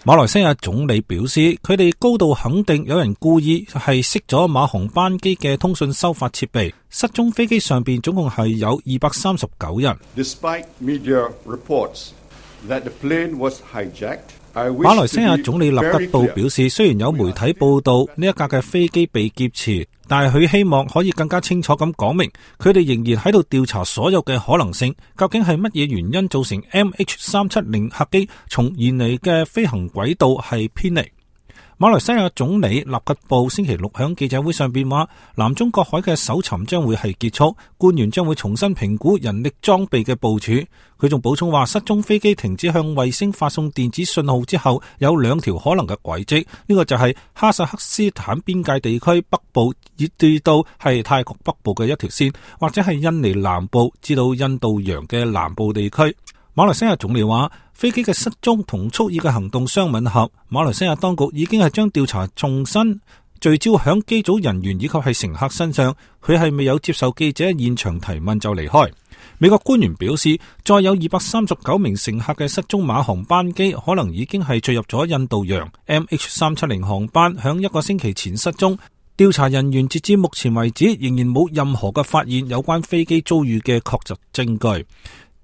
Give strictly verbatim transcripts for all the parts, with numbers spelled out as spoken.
馬來西亞總理表示，佢哋高度肯定有人故意係熄咗馬航班機嘅通訊收發設備。失蹤飛機上邊總共係有二百三十九人。Despite media reports that the plane was hijacked, 馬來西亞總理納吉布表示，雖然有媒體報道呢一架嘅飛機被劫持，但係佢希望可以更加清楚咁講明，佢哋仍然喺度調查所有嘅可能性，究竟係乜嘢原因造成 M H 三七零 客機從原嚟嘅飛行軌道係偏離。馬來西亞總理納吉布星期六響記者會上邊話，南中國海嘅搜尋將會係結束，官員將會重新評估人力裝備嘅部署。佢仲補充話，失蹤飛機停止向衛星發送電子信號之後，有兩條可能嘅軌跡，呢、這個就係哈薩克斯坦邊界地區北部至到係泰國北部嘅一條線，或者係印尼南部至到印度洋嘅南部地區。馬來西亞總理話，飛機嘅失蹤同蓄意嘅行動相吻合。馬來西亞當局已經係將調查重新聚焦響機組人員以及係乘客身上。佢係未有接受記者現場提問就離開。美國官員表示，再有二百三十九名乘客嘅失蹤馬航班機可能已經係墜入咗印度洋。M H 三七零航班響一個星期前失蹤。調查人員截至目前為止仍然冇任何嘅發現有關飛機遭遇嘅確實證據。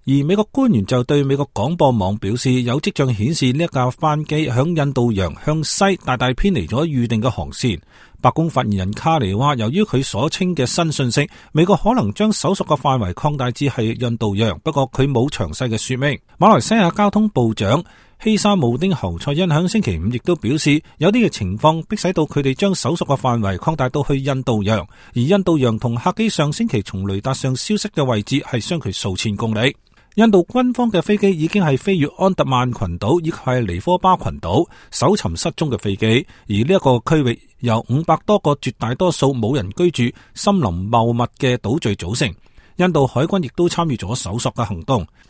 而美國官員就對美國廣播網表示，有跡象顯示呢一架班機響印度洋向西大大偏離咗預定嘅航線。白宮發言人卡尼話，由於佢所稱嘅新信息，美國可能將搜索嘅範圍擴大至係印度洋，不過佢冇詳細嘅說明。馬來西亞交通部長希沙慕丁侯賽因響星期五亦都表示，有啲嘅情況迫使到佢哋將搜索嘅範圍擴大到去印度洋，而印度洋同客機上星期從雷達上消失嘅位置係相距數千公里。印度軍方嘅飛機已經係飛越安達曼群島以及係尼科巴群島搜尋失蹤嘅飛機，而呢一個區域由五百多個絕大多數冇人居住、森林茂密嘅島嶼組成。印度海軍亦都參與咗搜索嘅行動。